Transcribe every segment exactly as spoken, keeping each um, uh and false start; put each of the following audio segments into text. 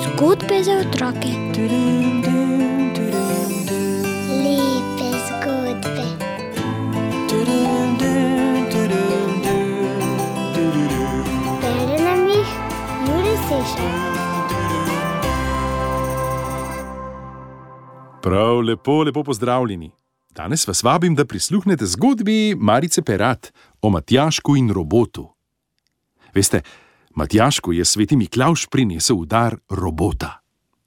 Zgodbe za otroke. Lepe zgodbe. Bere nam jih Jure Sešar. Prav lepo, lepo pozdravljeni. Danes vas vabim, da prisluhnete zgodbi Marice Perat o Matjažku in robotu. Veste, Matjažku je sveti Miklavž prinesel v dar robota.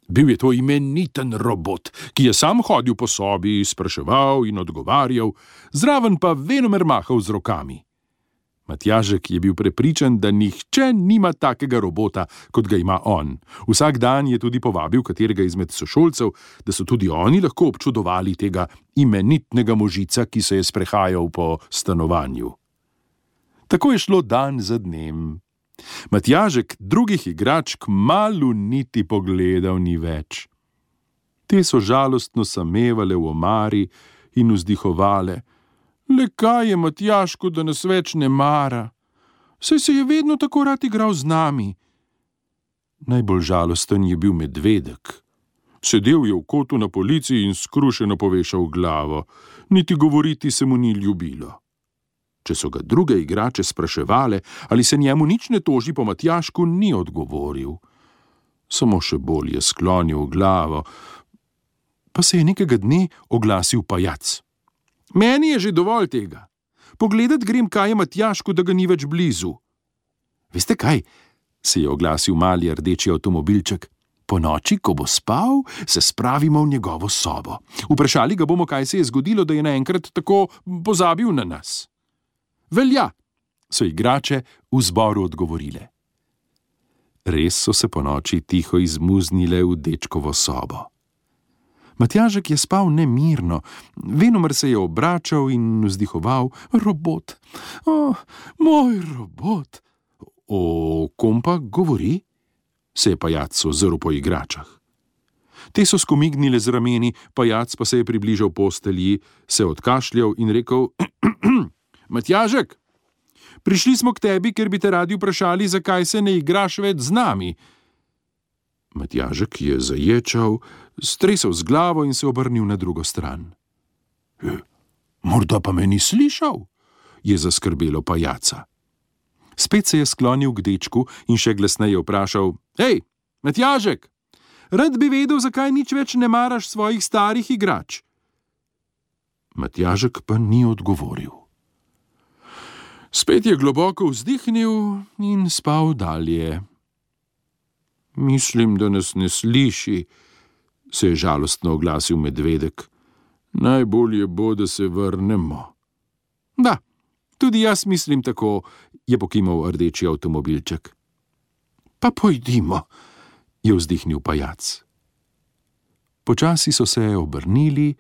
Bil je to imeniten robot, ki je sam hodil po sobi, spraševal in odgovarjal, zraven pa venomer mahal z rokami. Matjažek je bil prepričan, da nihče nima takega robota, kot ga ima on. Vsak dan je tudi povabil katerega izmed sošolcev, da so tudi oni lahko občudovali tega imenitnega možica, ki se je sprehajal po stanovanju. Tako je šlo dan za dnem. Matjažek drugih igrač kmalu niti pogledal ni več. Te so žalostno samevale v omari in vzdihovale. Le kaj je Matjažku, da nas več ne mara? Saj se je vedno tako rad igral z nami. Najbolj žalosten je bil medvedek. Sedel je v kotu na polici in skrušeno povešal glavo. Niti govoriti se mu ni ljubilo. Če so ga druge igrače spraševale, ali se njemu nič ne toži po Matjažku, ni odgovoril. Samo še bolj je sklonil glavo. Pa se je nekega dne oglasil pajac. Meni je že dovolj tega. Pogledat grem, kaj je Matjažku, da ga ni več blizu. Veste kaj? Se je oglasil mali rdeči avtomobilček. Po noči, ko bo spal, se spravimo v njegovo sobo. Vprašali ga bomo, kaj se je zgodilo, da je naenkrat tako pozabil na nas. Velja, so igrače v zboru odgovorile. Res so se po noči tiho izmuznile v dečkovo sobo. Matjažek je spal nemirno, venomer se je obračal in vzdihoval, robot, o, moj robot. O kom pa govori? Se je pajac ozrl po igračah. Te so skomignile z rameni, pajac pa se je približal postelji, se odkašljal in rekel, Matjažek, prišli smo k tebi, ker bi te radi vprašali, zakaj se ne igraš več z nami. Matjažek je zaječal, stresel z glavo in se obrnil na drugo stran. E, morda pa me ni slišal, je zaskrbelo pajaca. Spet se je sklonil k dečku in še glasneje vprašal, hej, Matjažek, rad bi vedel, zakaj nič več ne maraš svojih starih igrač. Matjažek pa ni odgovoril. Spet je globoko vzdihnil in spal dalje. Mislim, da nas ne sliši, se je žalostno oglasil medvedek. Najbolje bo, da se vrnemo. Da, tudi jaz mislim tako, je pokimal rdeči avtomobilček. Pa pojdimo, je vzdihnil pajac. Počasi so se obrnili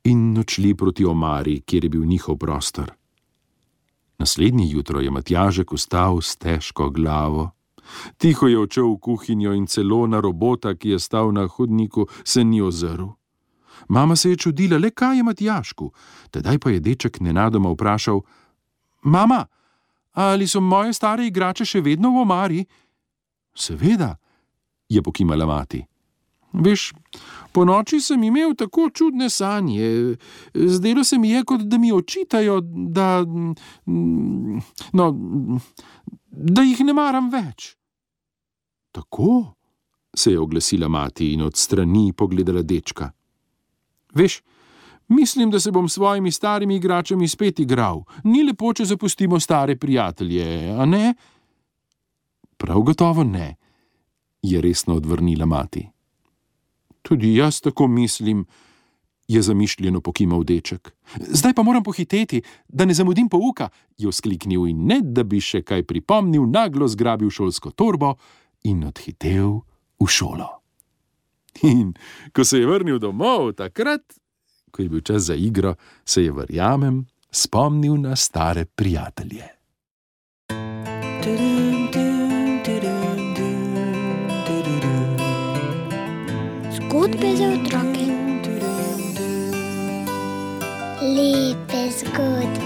in odšli proti omari, kjer je bil njihov prostor. Naslednje jutro je Matjažek vstal s težko glavo. Tiho je odšel v kuhinjo in celo na robota, ki je stal na hodniku, se ni ozrl. Mama se je čudila, le kaj je Matjažku. Tedaj pa je deček nenadoma vprašal, mama, ali so moje stare igrače še vedno v omari? Seveda, je pokimala mati. Veš, po noči sem imel tako čudne sanje. Zdelo se mi je, kot da mi očitajo, da, no, da jih ne maram več. Tako, se je oglasila mati in od strani pogledala dečka. Veš, mislim, da se bom s svojimi starimi igračami spet igral. Ni lepo, če zapustimo stare prijatelje, a ne? Prav gotovo ne, je resno odvrnila mati. Tudi jaz tako mislim, je zamišljeno pokimal deček. Zdaj pa moram pohiteti, da ne zamudim pouka, je vzkliknil in ne, da bi še kaj pripomnil, naglo zgrabil šolsko torbo in odhitel v šolo. In ko se je vrnil domov, takrat, ko je bil čas za igro, se je, verjamem, spomnil na stare prijatelje. Zgodbe za otroke. Lepe zgodbe.